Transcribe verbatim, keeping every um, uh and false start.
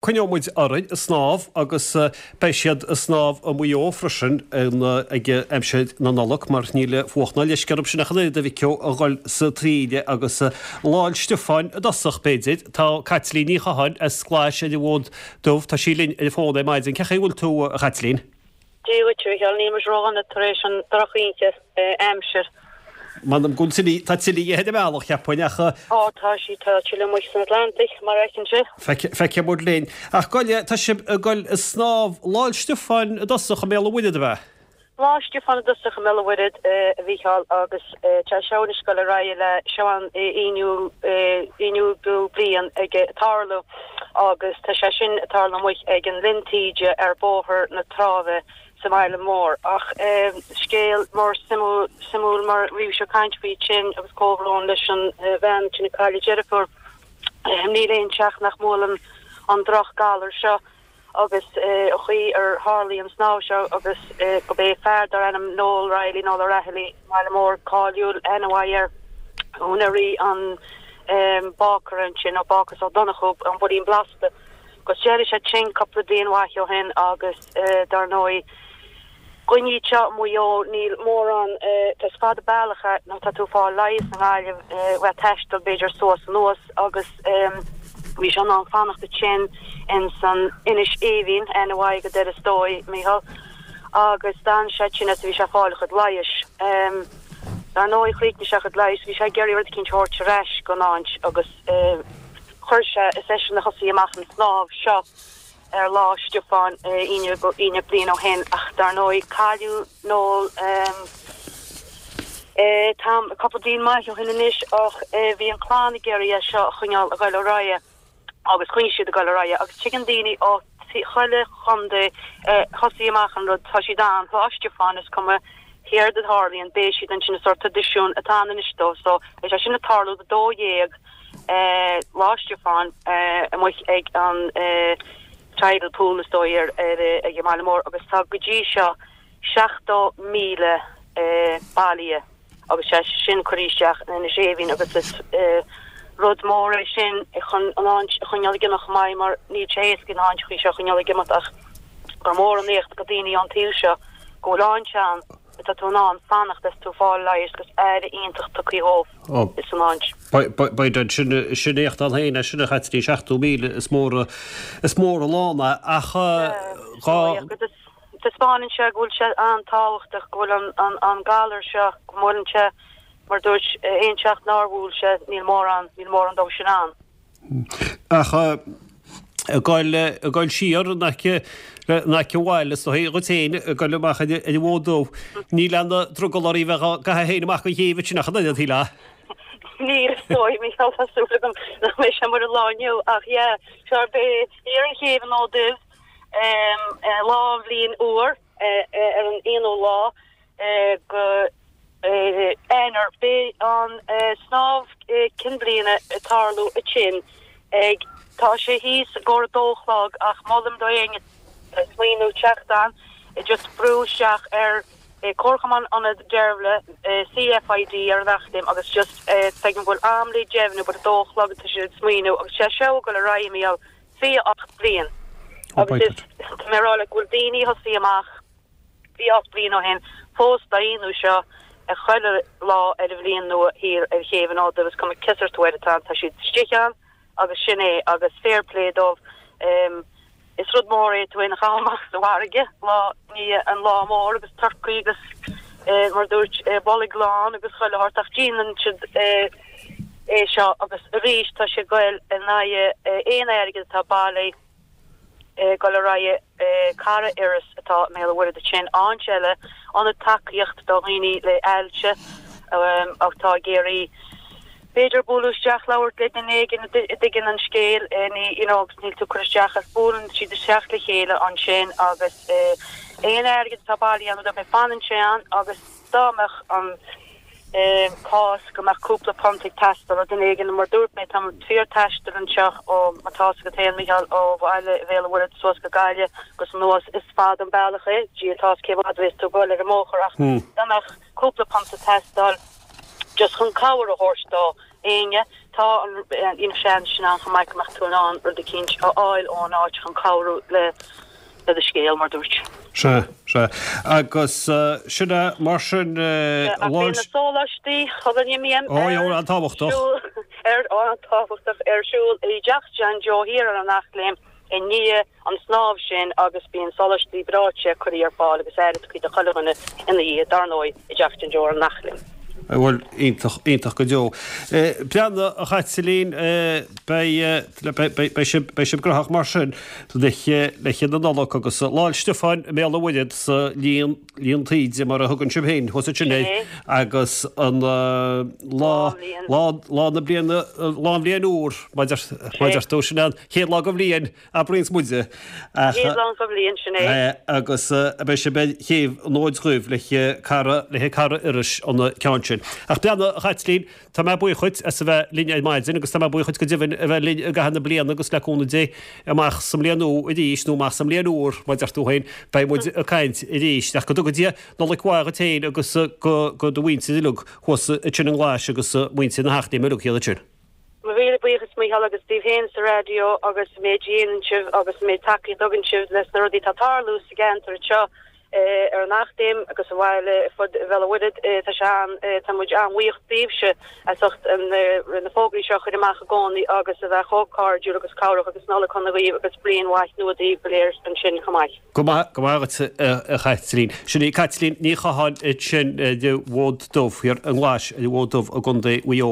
Coinneoidh muid orainn ag snámh agus beidh siad ag snámh i Maigh Eo freisin ag aimsir na Nollag mar níl fuacht ná leisce orthu sin ach an oiread a Mhic Eo a dhul sa taoille agus Lá 'le Stiofáin i dtosach b'fhéidir. Tá Caitlín Ní Chatháin as Glais ar an bhFód Dubh, tá sí linn ar an bhfón ar maidin. Cén chaoi a bhfuil tú a Chaitlín? Dia dhuit, a Mhichíl, níl muid ródhona tar éis an drochoíche aimsir. M'anam go bhfuil tuile, tá tuile ar an mbealach, cheapfainn, ach. Ó, tá sí, tá tuile amuigh san Atlantic, mar a fheiceann sé. Feicfidh muid linn. Ach gabh i leith, tá sibh ag dul ag snámh Lá 'le Stiofáin i dtosach i mBéal an Mhuirthead, ab ea? Lá Stiofáin i dtosach i mBéal an Mhuirthead, a Mhícheáil, agus tá seo anois ag dul ar aghaidh le seo an aonú aonú bliain ag tarlú agus tá sé sin ag tarlú amuigh ag an Linn Taoide ar Bhóthar na Trá sa mbaile mór. Ach scéal mór suimiúil mar bhí sibh ag caint faoi sin agus comhbhrón leis an bhean sin a cailleadh a deirfiúr. Níl aon teach nach mbuaileann an droch-ghalar seo agus an chaoi ar tharlaigh an snámh seo agus go b'é fear dar ainm Noel Reilly, Noel O'Rahilly, sa mbaile mór cáiliúil, aithne mhaith air, úinéirí an bácaire ansin, ó Bácús Ó Donnchú, an Builín Blasta. Agus d'éirigh sé tinn cúpla bliain mhaith ó shin agus dar ndóigh dhaoine anseo i Maigh Eo níl mórán, is fada bealach é má tá tú ag fáil leighis i nGaillimh, bheith taisteal b'fhéidir suas anuas agus bhí sé in ann fanacht ansin in san Inis Aoibhinn, aithne mhaith agat air is dóigh, Mícheál, agus d'fhan sé tinn is bhí sé ag fáil a chuid leighis. Dar ndóigh chríochnaigh sé a chuid leighis, bhí sé ag iarraidh rud eicínt a thabhairt ar ais don áit agus. Chuir sé, is eisean a thosaigh amach an snámh seo ar Lá Stiofáin aon bliain ó shin ach dar ndóigh cailleadh Noel tam, cúpla bliain maith ó shin anois ach bhí an chlann ag iarraidh é seo a choinneáil ag dul ar aghaidh agus choinnigh siad ag dul ar aghaidh agus tigeann daoine ó chuile chontae thosaigh amach an rud, tá siad ann Lá Stiofáin is cuma céard a tharlaíonn beidh siad ansin is sórt traidisiún atá ann anois dóibh so beidh sé sin ag tarlú do dó dhéag Lá Stiofáin amuigh ag an Tidal Pool is dóigh ar ag an mbaile mór agus tá go dtí seo seachtó míle bailithe agus sé sin curtha isteach in Inis Aoibhinn agus is rud mór é sin chun an áit a choinneáil ag imeacht chomh maith mar níl sé éasca na háiteachaí seo a choinneáil ag imeacht ach gur mór an éacht do daoine ón taobh seo go bhfuil áit ann atá tú in ann fanacht is tú ag fáil leighis agus aire iontach tugtha dhóibh san áit. B'fhéidir sin sin éacht ann féin é sin a Chaitlín seachtó míle is mór is mór an lán é ach dhá. Taispeánann sé go bhfuil sé an-tábhachtach go bhfuil an an an galar seo go mbuaileann sé mar dúirt aon teach nár bhuail sé níl mórán níl mórán dóibh sin ann. Ach ag goil, ag goil siar in aice, in aice an bhaile, is dóigh dhuit féin, ag goil amach ar an bhFód Dubh, níl aon drogall oraibh bheith á gcaitheamh féin amach an chéibh ansin ach an oiread, shílfeá. Níl, is dóigh, Mícheál, tá súil agam nach mbeidh sé mar an lá inniu, ach yeah, sure, beidh ar an chéibh an Fhóid Duibh, lá an bhliain úr, ar an aonú lá go Eanáir. Beidh an snámh cinn bliana ag tarlú ansin ag Tá sé thíos i gcomhair a dó a chlog ach molaim do éinne atá ag smaoineamh teacht ann just brú isteach ar Comharchumann Ionad Deirbhile CFID ar an Eachléim agus just feicim go bhfuil am le deimhniú but a dó a chlog atá siad ag smaoineamh agus sé seo ag dul ar aghaidh Mícheál fiche ocht bliain agus is tá mé ag rá leat go bhfuil daoine a thosaigh amach fiche ocht bliain ó shin fós dá dhéanamh seo ag chuile lá ar an bhliain nua thiar ar chéibh an Fhóid Duibh is cuma cé sórt uair atá ann tá siad istigh ann agus sin é agus fair play dóibh is rud mór é tú féin a chaitheamh amach sa bhfarraige lá i ndiaidh an lá mór agus turcaí agus mar dúirt bolg lán agus chuile shórt ach déanann siad é seo agus arís tá sé ag goil in aghaidh aon airgead atá bailithe ag dul ar aghaidh Cara Iorrais atá i mBéal an Mhuirthead ansin, áit eile, ionad tacaíocht do dhaoine le ailse atá ag iarraidh b'fhéidir bualadh isteach labhairt le duine éigin a dtuigeann an scéal ní you know agus níl tú ag cur isteach ach buaileann siad isteach le chéile ansin agus aon airgead atá bailithe ann rud fanann sé ann agus dá mbeadh an cás go mbeadh cúpla punt ag teastáil ó duine éigin, mar dúirt mé, tá fíor-taisteal anseo ó, má tá fhios agat féin, Mícheál, ó bhaile Bhéal an Mhuirthead suas go Gaillimh agus anuas, is fada an bealach é, Dia atá fhios cé mhéad a bhéas tú ag dul ar an mbóthar ach dá mbeadh cúpla punt ag teastáil just chun cabhair a thabhairt do éinne, tá an you know seans sin ann chomh maith go mbeadh tú in ann rud eicínt a fháil ón áit chun cabhrú le le do scéal mar dúirt. Sea, sea. Agus sin é mar sin Ach bíonn na sóláistí Ó, ar an-tábhachtach. Ar an-tábhachtach ar siúl i dTeach John Joe thiar ar an Eachléim i ndiaidh an snámh sin agus bíonn sóláistí breoite curtha ar fáil agus airgead do chuile dhuine ina dhiaidh, dar ndóigh, i dTeach John Joe ar an Eachléim. Bhuel, iontach, iontach go deo. Breathnaigh, a Chaitlín, beidh, beidh sibh, beidh sibh graitheach mar sin le le na Nollag agus Lá 'le Stiofáin i mBéal an Mhuirthead sa líon, líon taoide mar a thugann sibh féin thuas ansin é agus an lá, lá, lá na bliana, lá an bhliain úr, mar deir tú, sin an chéad lá den bhliain. Abraíonns muide. Chéad lá den bhliain, sin é. Agus beidh sibh ar chéibh an Fhóid Dhuibh le cara, le cara Iorrais an ceann sin. Ach breathnaigh, a Chaitlín, tá mé buíoch dhuit as a bheith linn ar maidin agus tá mé buíoch dhuit go deimhin a bheith linn i gcaitheamh na bliana agus le cúnamh Dé amach sa mbliain nua arís nó amach sa mbliain úr, mar deir tú féin, beidh muid ag caint arís. Ach go dtuga Dia Nollaig mhaith dhuit féin agus go do mhuintir uilig thuas ansin i nGlais agus muintir na hEachléime uilig thiar ansin. Mo mhíle buíochas Mícheál agus daoibh féin sa raidió agus an méid a dhéanann sibh agus an méid tacaíocht a thugann sibh leis na rudaí atá ag tarlú sa gceantar anseo ar an Eachléim agus sa bhaile ar fud Bhéal an Mhuirthead. Tá sé an, tá muid an-bhuíoch daoibhse as ucht na fógraí seo a chur amach i gcónaí agus a bheith chomh cairdiúil agus cabhrach agus Nollaig shona dhaoibh agus bliain mhaith nua daoibh go léir ansin chomh maith. Go maith, go maith dhuit a Chaitlín. Sin í Caitlín Ní Chatháin ansin ar an bhFód Dubh thiar i nGlais ar an bhFód Dubh i gContae Mhaigh Eo.